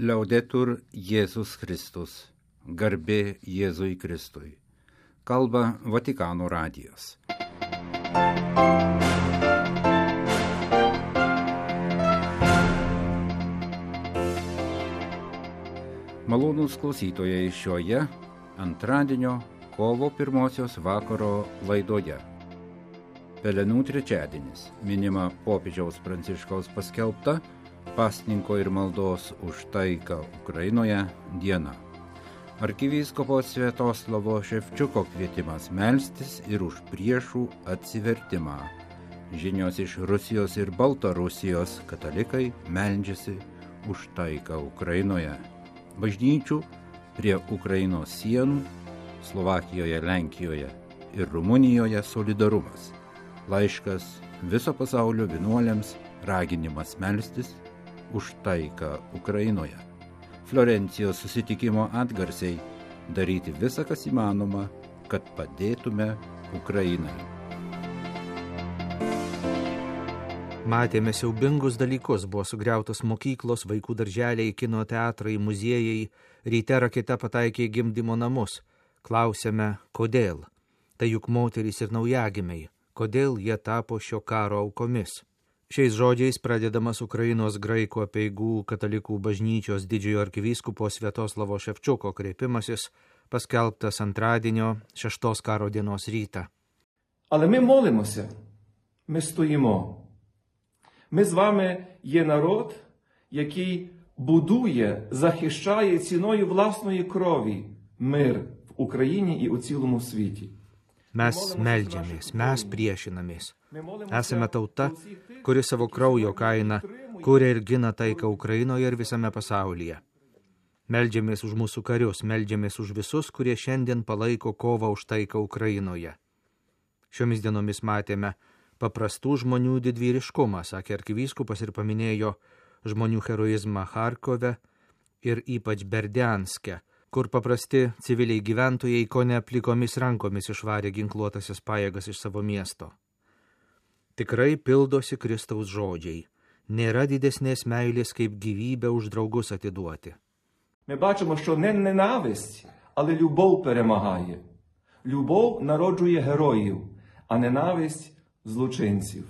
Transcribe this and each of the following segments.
Liaudetur Jėzus Kristus, garbė Jėzui Kristui. Kalba Vatikano radijas. Malonūs klausytojai šioje antradienio kovo 1 vakaro laidoje. Pelenų trečiadienis minima popiežiaus Pranciškaus paskelbta pasninko ir maldos už taiką Ukrainoje diena. Arkivyskupo Sviatoslavo Ševčiuko kvietimas melstis ir už priešų atsivertimą. Žinios iš Rusijos ir Baltarusijos katalikai meldžiasi už taiką Ukrainoje. Bažnyčių prie Ukrainos sienų, Slovakijoje, Lenkijoje ir Rumunijoje solidarumas. Laiškas viso pasaulio vienuoliams, raginimas melstis už taiką Ukrainoje. Florencijos susitikimo atgarsiai daryti visą, kas įmanoma, kad padėtume Ukrainai. Matėme siaubingus dalykus, buvo sugriautos mokyklos, vaikų darželiai, kino teatrai, muziejai, ryte raketa pataikė į gimdymo namus. Klausėme, kodėl? Tai juk moterys ir naujagimiai. Kodėl jie tapo šio karo aukomis? Šiais žodžiais pradedamas Ukrainos graikų apeigų katalikų bažnyčios didžiojo arkivyskupo Sviatoslavo Ševčiuko kreipimasis, paskelbtas antradienio 6 karo dienos rytą. Але ми молимося, ми стоїмо. Ми з вами є народ, який будує, захищає ціною власної крові мир в Україні і у цілому світі. Mes meldžiamės, mes priešinamės. Esame tauta, kuri savo kraujo kainą kuria ir gina taiką Ukrainoje ir visame pasaulyje. Meldžiamės už mūsų karius, meldžiamės už visus, kurie šiandien palaiko kovą už taiką Ukrainoje. Šiomis dienomis matėme paprastų žmonių didvyriškumą, sakė arkivyskupas ir paminėjo žmonių heroizmą Charkove ir ypač Berdianske, kur paprasti civiliai gyventojai kone plikomis rankomis išvarė ginkluotasias pajėgas iš savo miesto. Tikrai pildosi Kristaus žodžiai. Nėra didesnės meilės, kaip gyvybę už draugus atiduoti. Ми бачимо, що не ненависть, але любов перемагає. Любов народжує героїв, а ненависть – злочинців.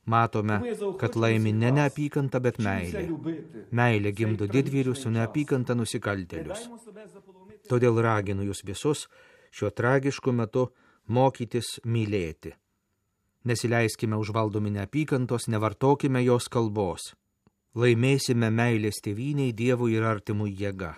Matome, kad laimi ne neapykanta, bet meilė. Meilė gimdo didvyrius, o neapykanta nusikaltėlius. Todėl raginu jūs visus šiuo tragišku metu mokytis mylėti. Nesileiskime užvaldomi neapykantos, nevartokime jos kalbos. Laimėsime meilės tėvynei, Dievui ir artimui jėga.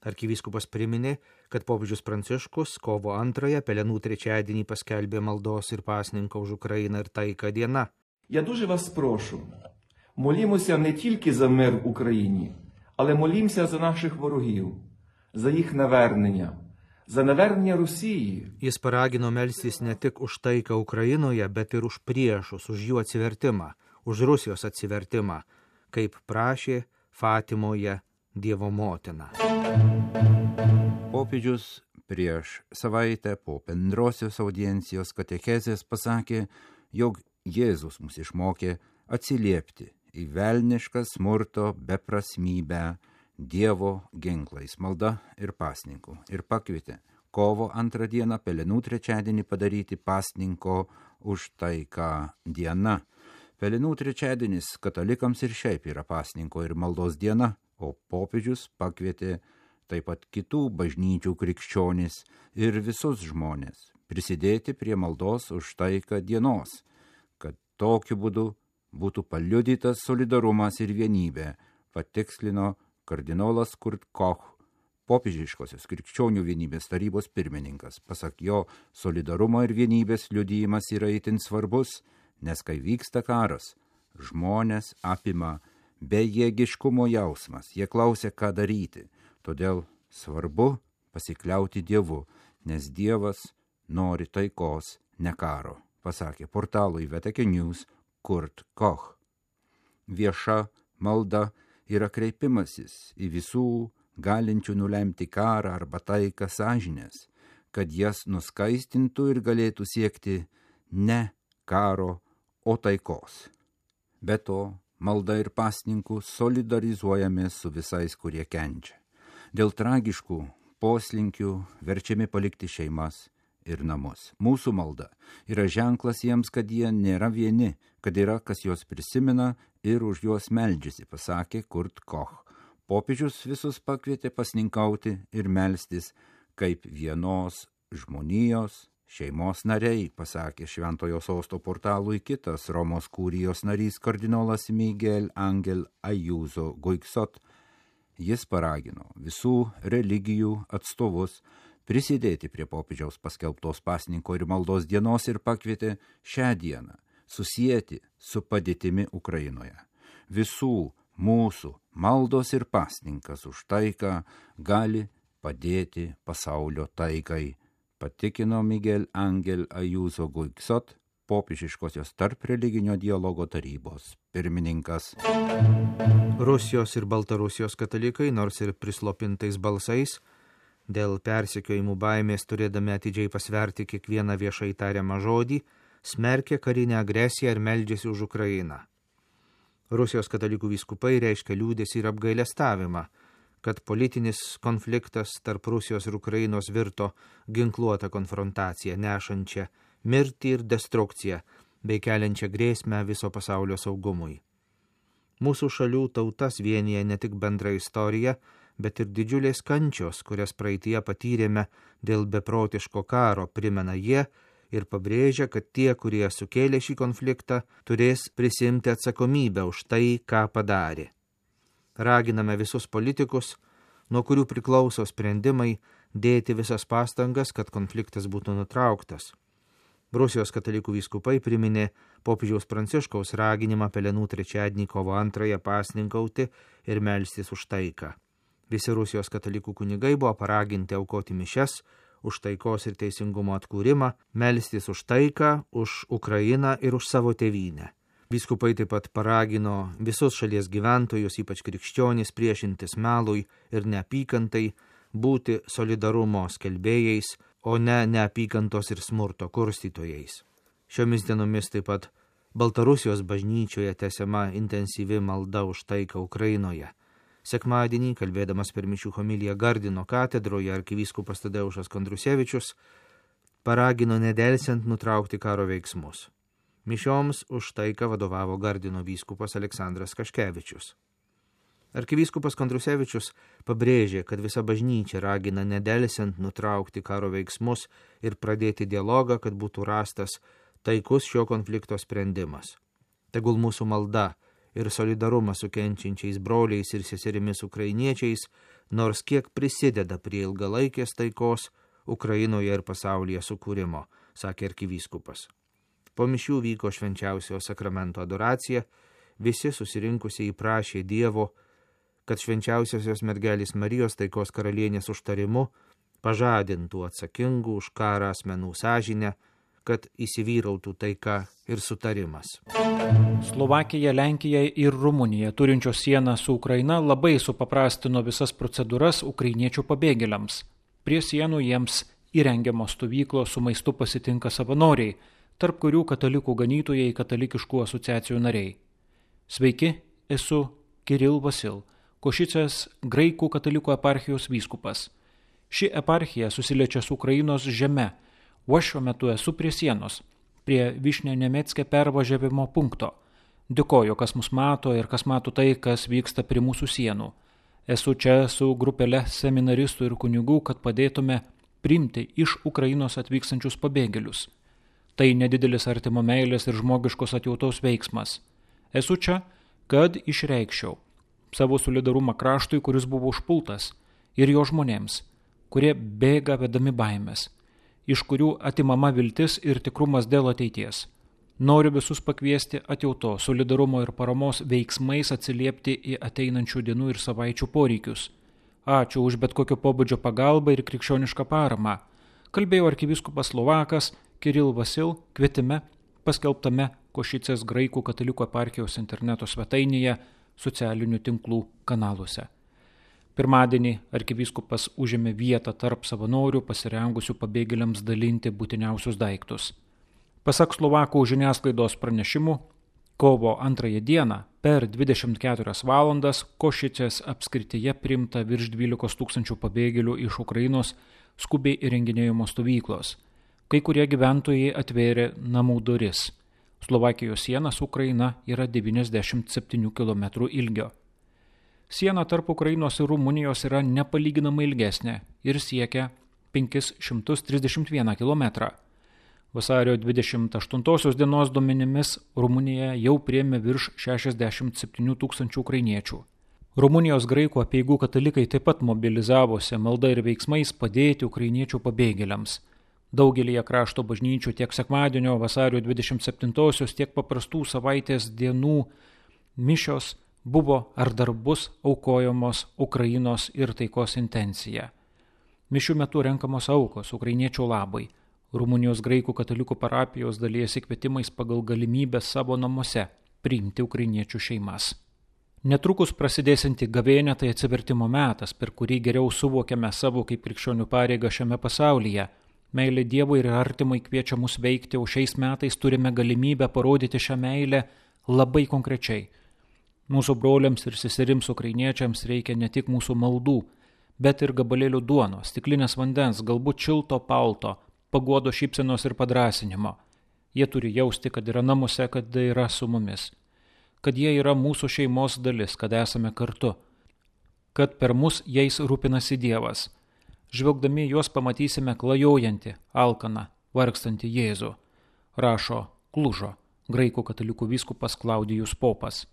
Arkivyskupas priminė, kad popiežius Pranciškus kovo 2 Pelenų trečiadienį paskelbė maldos ir pasninko už Ukrainą ir taiką diena. Я дуже вас прошу, молімося не тільки за мир в Україні, але молімося за наших ворогів, за їх навернення, за навернення Росії. Jis paragino melstis ne tik už taiką Ukrainoje, bet ir už priešus, už jų atsivertimą, už Rusijos atsivertimą, kaip prašė Fatimoje Dievo motina. Popiežius prieš savaitę po bendrosios audiencijos katechezės pasakė, jog Jėzus mus išmokė atsiliepti į velnišką smurto beprasmybę Dievo ginklais, malda ir pasninku, ir pakvietė kovo 2 dieną Pelenų trečiadienį padaryti pasninko už taiką diena. Pelenų trečiadienis katalikams ir šiaip yra pasninko ir maldos diena, o popiežius pakvietė taip pat kitų bažnyčių krikščionis ir visus žmonės prisidėti prie maldos už taiką dienos, kad tokiu būdu būtų paliudytas solidarumas ir vienybė, patikslino kardinolas Kurt Koch, popiežiškosios krikščionių vienybės tarybos pirmininkas. Pasak jo, solidarumo ir vienybės liudijimas yra itin svarbus, nes kai vyksta karas, žmonės apima bejėgiškumo jausmas, jie klausia, ką daryti. Todėl svarbu pasikliauti Dievu, nes Dievas nori taikos, ne karo, pasakė portalui VTK News Kurt Koch. Vieša malda yra kreipimasis į visų galinčių nulemti karą arba taiką sąžinės, kad jas nuskaistintų ir galėtų siekti ne karo, o taikos. Be to, malda ir pasninku solidarizuojamės su visais, kurie kenčia. Dėl tragiškų poslinkių verčiami palikti šeimas ir namus. Mūsų malda yra ženklas jiems, kad jie nėra vieni, kad yra, kas juos prisimena ir už juos meldžiasi, pasakė Kurt Koch. Popiežius visus pakvietė pasninkauti ir melstis kaip vienos žmonijos šeimos nariai, pasakė Šventojo Sosto portalui kitas Romos kurijos narys kardinolas Miguel Angel Ayuso Guiksot. Jis paragino visų religijų atstovus prisidėti prie popiežiaus paskelbtos pasninko ir maldos dienos ir pakvietė šią dieną susieti su padėtimi Ukrainoje. Visų mūsų maldos ir pasninkas už taiką gali padėti pasaulio taikai, patikino Miguel Angel Ayuso Guiksot, popiežiškosios tarp religinio dialogo tarybos pirmininkas. Rusijos ir Baltarusijos katalikai, nors ir prislopintais balsais, dėl persekiojimų baimės turėdami atidžiai pasverti kiekvieną viešai tariamą žodį, smerkė karinę agresiją ir meldžiasi už Ukrainą. Rusijos katalikų vyskupai reiškia liūdesį ir apgailestavimą, kad politinis konfliktas tarp Rusijos ir Ukrainos virto ginkluotą konfrontaciją, nešančią mirtį ir destrukciją, bei keliančią grėsmę viso pasaulio saugumui. Mūsų šalių tautas vienyje ne tik bendra istorija, bet ir didžiulės kančios, kurias praeityje patyrėme dėl beprotiško karo, primena jie ir pabrėžia, kad tie, kurie sukėlė šį konfliktą, turės prisimti atsakomybę už tai, ką padarė. Raginame visus politikus, nuo kurių priklauso sprendimai, dėti visas pastangas, kad konfliktas būtų nutrauktas. Rusijos katalikų vyskupai priminė popiežiaus Pranciškaus raginimą Pelenų trečiadienį kovo 2 pasninkauti ir melstis už taiką. Visi Rusijos katalikų kunigai buvo paraginti aukoti mišias už taikos ir teisingumo atkūrimą, melstis už taiką, už Ukrainą ir už savo tėvynę. Vyskupai taip pat paragino visus šalies gyventojus, ypač krikščionys, priešintis melui ir neapykantai, būti solidarumo skelbėjais, o ne neapykantos ir smurto kurstytojais. Šiomis dienomis taip pat Baltarusijos bažnyčioje tęsiama intensyvi malda už taiką Ukrainoje. Sekmadienį, kalbėdamas per mišių homiliją Gardino katedroje, arkivyskupas Tadeušas Kondrusevičius paragino nedelsiant nutraukti karo veiksmus. Mišioms už taiką vadovavo Gardino vyskupas Aleksandras Kaškevičius. Arkivyskupas Kondrusevičius pabrėžė, kad visa bažnyčia ragina nedelsiant nutraukti karo veiksmus ir pradėti dialogą, kad būtų rastas taikus šio konflikto sprendimas. Tegul mūsų malda ir solidarumas su kenčiančiais broliais ir seserimis ukrainiečiais, nors kiek prisideda prie ilgalaikės taikos Ukrainoje ir pasaulyje sukūrimo, sakė arkivyskupas. Po mišių vyko švenčiausiojo sakramento adoracija, visi susirinkusieji prašė Dievo, kad švenčiausiosios mergelės Marijos taikos karalienės užtarimu pažadintų atsakingų už karą asmenų sąžinę, kad įsivyrautų taika ir sutarimas. Slovakija, Lenkija ir Rumunija, turinčios sieną su Ukraina, labai supaprastino visas procedūras ukrainiečių pabėgėliams. Prie sienų jiems įrengiamos stovyklos su maistu pasitinka savanoriai, tarp kurių katalikų ganytojai, katalikiškų asociacijų nariai. Sveiki, esu Kiril Vasil, Košicės graikų katalikų eparchijos vyskupas. Ši eparchija susiliečia su Ukrainos žeme, o aš šiuo metu esu prie sienos, prie Višnio-Nemeckė pervažiavimo punkto. Dėkoju, kas mus mato ir kas mato tai, kas vyksta prie mūsų sienų. Esu čia su grupele seminaristų ir kunigų, kad padėtume priimti iš Ukrainos atvykstančius pabėgėlius. Tai nedidelis artimo meilės ir žmogiškos atjautos veiksmas. Esu čia, kad išreikščiau savo solidarumą kraštui, kuris buvo užpultas, ir jo žmonėms, kurie bėga vedami baimės, iš kurių atimama viltis ir tikrumas dėl ateities. Noriu visus pakviesti atjauto, solidarumo ir paramos veiksmais atsiliepti į ateinančių dienų ir savaičių poreikius. Ačiū už bet kokio pobūdžio pagalbą ir krikščionišką paramą. Kalbėjo arkivyskupas Slovakas Kiril Vasil kvietime paskelbtame Košicės graikų katalikų eparchijos interneto svetainėje socialinių tinklų kanaluose. Pirmadienį arkivyskupas užėmė vietą tarp savanorių pasirengusių pabėgėliams dalinti būtiniausius daiktus. Pasak Slovakų žiniasklaidos pranešimų, Kovo 2 dieną per 24 valandas Košicės apskrityje priimta virš 12 000 pabėgėlių iš Ukrainos skubiai įrenginėjimo stovyklos. Kai kurie gyventojai atvėrė namų duris. Slovakijos siena su Ukraina yra 97 km ilgio. Siena tarp Ukrainos ir Rumunijos yra nepalyginamai ilgesnė ir siekia 531 km. Vasario 28 dienos duomenimis Rumunija jau priėmė virš 67 000 ukrainiečių. Rumunijos graikų apeigų katalikai taip pat mobilizavosi malda ir veiksmais padėti ukrainiečių pabėgėliams. Daugelįje krašto bažnyčių tiek sekmadienio vasario 27-osios, tiek paprastų savaitės dienų mišios buvo ar dar bus aukojamos Ukrainos ir taikos intencija. Mišių metu renkamos aukos ukrainiečių labai. Rumunijos graikų katalikų parapijos dalijasi kvietimais pagal galimybę savo namuose priimti ukrainiečių šeimas. Netrukus prasidėsianti gavėnia tai atsivertimo metas, per kurį geriau suvokiame savo kaip krikščionių pareigą šiame pasaulyje. Meilė Dievui ir artimai kviečia mus veikti, o šiais metais turime galimybę parodyti šią meilę labai konkrečiai. Mūsų broliams ir seserims ukrainiečiams reikia ne tik mūsų maldų, bet ir gabalėlių duonos, stiklinės vandens, galbūt šilto palto, paguodo šypsenos ir padrąsinimo. Jie turi jausti, kad yra namuose, kad yra su mumis, kad jie yra mūsų šeimos dalis, kad esame kartu, kad per mus jais rūpinasi Dievas. Žvelgdami juos pamatysime klajojantį, alkaną, vargstantį Jėzų, rašo Klužo, graikų katalikų vyskupas Klaudijus Popas.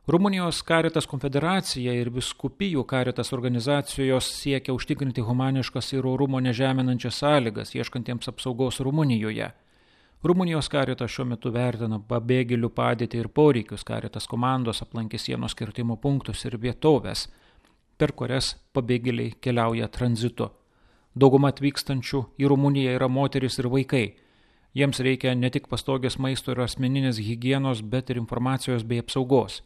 Rumunijos Caritas konfederacija ir vyskupijų Caritas organizacijos siekia užtikrinti humaniškas ir orumo nežeminančias sąlygas, ieškantiems apsaugos Rumunijoje. Rumunijos Caritas šiuo metu vertina pabėgėlių padėtį ir poreikius. Caritas komandos aplankė sienos kirtimo punktus ir vietovės, per kurias pabėgėliai keliauja tranzitu. Dauguma atvykstančių į Rumuniją yra moteris ir vaikai. Jiems reikia ne tik pastogės maisto ir asmeninės higienos, bet ir informacijos bei apsaugos.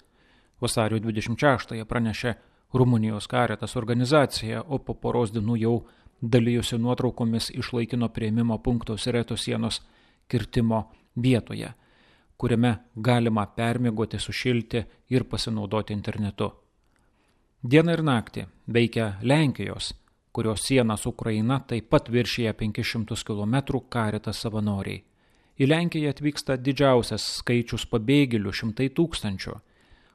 Vasario 26 pranešė Rumunijos Caritas organizacija, o po poros dienų jau dalijusi nuotraukomis iš laikino priėmimo punkto Sireto sienos kirtimo vietoje, kuriame galima permiegoti, sušilti ir pasinaudoti internetu. Dieną ir naktį veikia Lenkijos, kurios siena su Ukraina taip pat viršyje 500 km Caritas savanoriai. Į Lenkiją atvyksta didžiausias skaičius pabėgėlių, 100 000.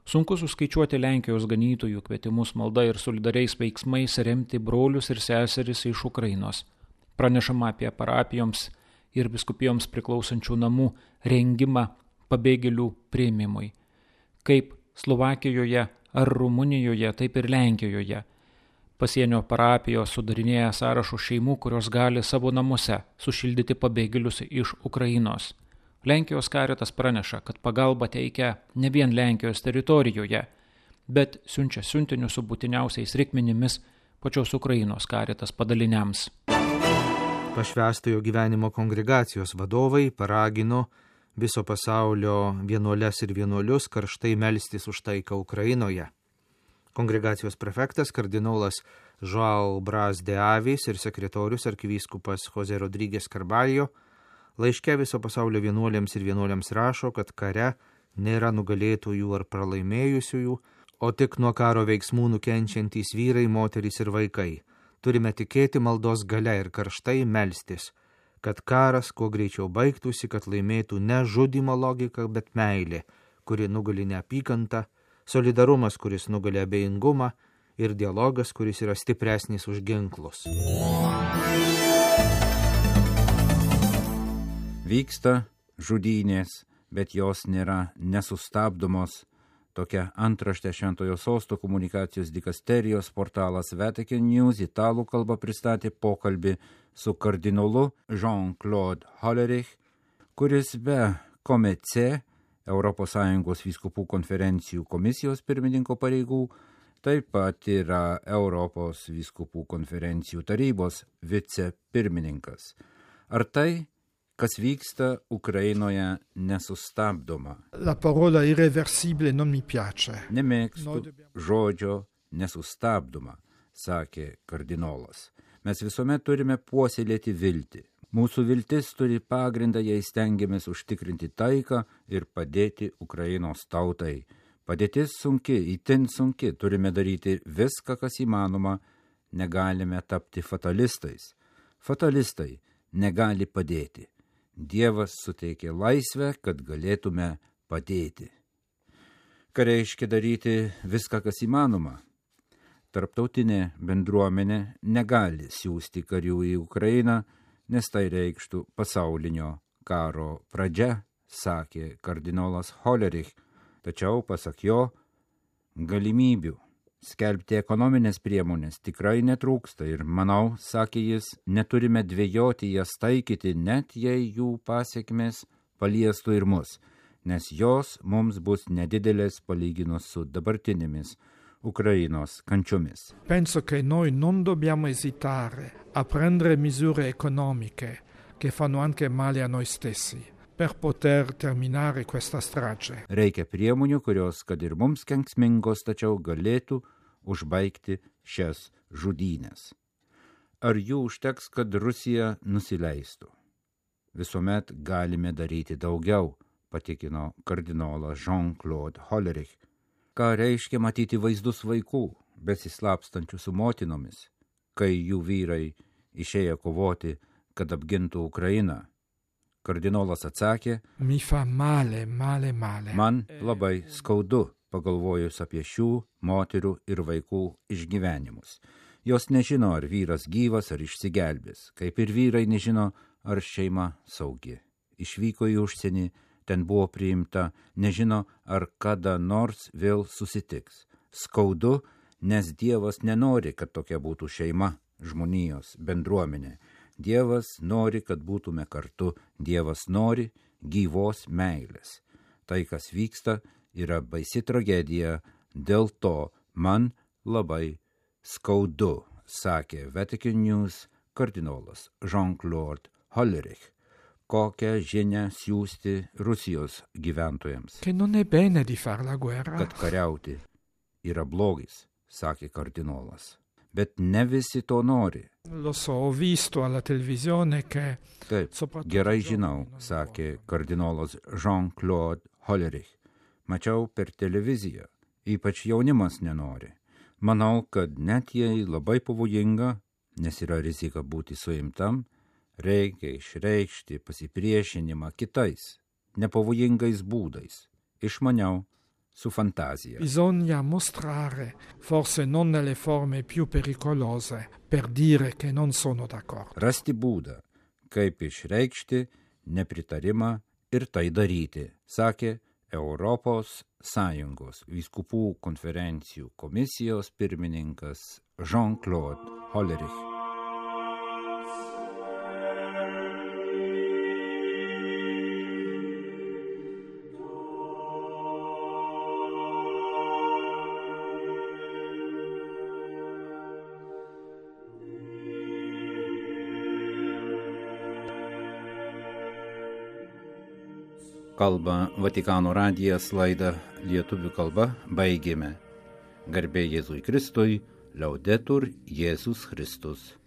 Sunku suskaičiuoti Lenkijos ganytojų kvietimus malda ir solidariais veiksmais remti brolius ir seseris iš Ukrainos. Pranešama apie parapijoms ir vyskupijoms priklausančių namų rengimą pabėgėlių priėmimui. Kaip Slovakijoje ar Rumunijoje, taip ir Lenkijoje. Pasienio parapijos sudarinėja sąrašų šeimų, kurios gali savo namuose sušildyti pabėgėlius iš Ukrainos. Lenkijos Caritas praneša, kad pagalba teikia ne vien Lenkijos teritorijoje, bet siunčia siuntinius su būtiniausiais reikmenimis pačios Ukrainos Caritas padaliniams. Pašvęstojo gyvenimo kongregacijos vadovai paragino viso pasaulio vienuoles ir vienuolius karštai melstis už taiką Ukrainoje. Kongregacijos prefektas kardinolas Joao Bras de Avis ir sekretorius arkivyskupas Jose Rodriguez Carballo laiške viso pasaulio vienuolėms ir vienuoliams rašo, kad kare nėra nugalėtojų ar pralaimėjusiųjų, o tik nuo karo veiksmų nukenčiantys vyrai, moterys ir vaikai. Turime tikėti maldos galia ir karštai melstis, kad karas kuo greičiau baigtųsi, kad laimėtų ne žudymo logika, bet meilė, kuri nugali neapykantą, solidarumas, kuris nugali abejingumą ir dialogas, kuris yra stipresnis už ginklus. Vyksta žudynės, bet jos nėra nesustabdomos. Tokia antraštė Šventojo Sosto komunikacijos dikasterijos portalas Vatican News italų kalba pristatė pokalbį su kardinolu Jean-Claude Hollerich, kuris be Comece, ES vyskupų konferencijų komisijos pirmininko pareigų, taip pat yra Europos vyskupų konferencijų tarybos vicepirmininkas. Ar tai, kas vyksta Ukrainoje, nesustabdoma? La parola irreversibile non mi piace. Nemėgstu žodžio nesustabdoma, sakė kardinolas. Mes visuomet turime puoselėti viltį. Mūsų viltis turi pagrindą, jei stengiamės užtikrinti taiką ir padėti Ukrainos tautai. Padėtis sunki, itin sunki, turime daryti viską, kas įmanoma, negalime tapti fatalistais. Fatalistai negali padėti. Dievas suteikė laisvę, kad galėtume padėti. Ką reiškia daryti viską, kas įmanoma? Tarptautinė bendruomenė negali siųsti karių į Ukrainą, nes tai reikštų pasaulinio karo pradžia, sakė kardinolas Hollerich. Tačiau, pasak jo, galimybių skelbti ekonominės priemonės tikrai netrūksta ir, manau, sakė jis, neturime dvejoti jas taikyti, net jei jų pasiekmės paliestų ir mus, nes jos mums bus nedidelės palyginus su dabartinėmis Ukrainos kančiomis. Penso che noi non dobbiamo esitare a prendere misure economiche che fanno anche male a noi stessi per poter terminare questa strage. Reikia priemonių, kurios, kad ir mums kenksmingos, tačiau galėtų užbaigti šias žudynės. Ar jų užteks, kad Rusija nusileistų? Visuomet galime daryti daugiau, patikino kardinolas Jean-Claude Hollerich. Ką reiškia matyti vaizdus vaikų, besislapstančių su motinomis, kai jų vyrai išėjo kovoti, kad apgintų Ukrainą? Kardinolas atsakė, Mi fa male. man labai skaudu, pagalvojus apie šių moterų ir vaikų išgyvenimus. Jos nežino, ar vyras gyvas, ar išsigelbės, kaip ir vyrai nežino, ar šeima saugi. Išvyko į užsienį, ten buvo priimta, nežino, ar kada nors vėl susitiks. Skaudu, nes Dievas nenori, kad tokia būtų šeima, žmonijos, bendruomenė. Dievas nori, kad būtume kartu. Dievas nori gyvos meilės. Tai, kas vyksta, yra baisi tragedija, dėl to man labai skaudu, sakė Vatican News kardinolas Jean-Claude Hollerich. Kokią žinią siųsti Rusijos gyventojams? Che non è bene di far la guerra. Kad kariauti yra blogis, sakė kardinolas. Bet ne visi to nori. Lo so, ho visto alla televisione che... Taip, gerai žinau, sakė kardinolas Jean-Claude Hollerich. Mačiau per televiziją, ypač jaunimas nenori. Manau, kad net jei labai pavojinga, nes yra rizika būti suimtam, reikia išreikšti pasipriešinimą kitais, nepavojingais būdais, išmaniau, su fantazija. Bisogna mostrare, forse non nelle forme più pericolose, per dire che non sono d'accordo. Rasti būdą, kaip išreikšti nepritarimą ir tai daryti, sakė Europos Sąjungos vyskupų konferencijų komisijos pirmininkas Jean-Claude Hollerich. Kalba Vatikano radijas, laidą lietuvių kalba baigėme. Garbė Jėzui Kristui, Laudetur Jėzus Kristus.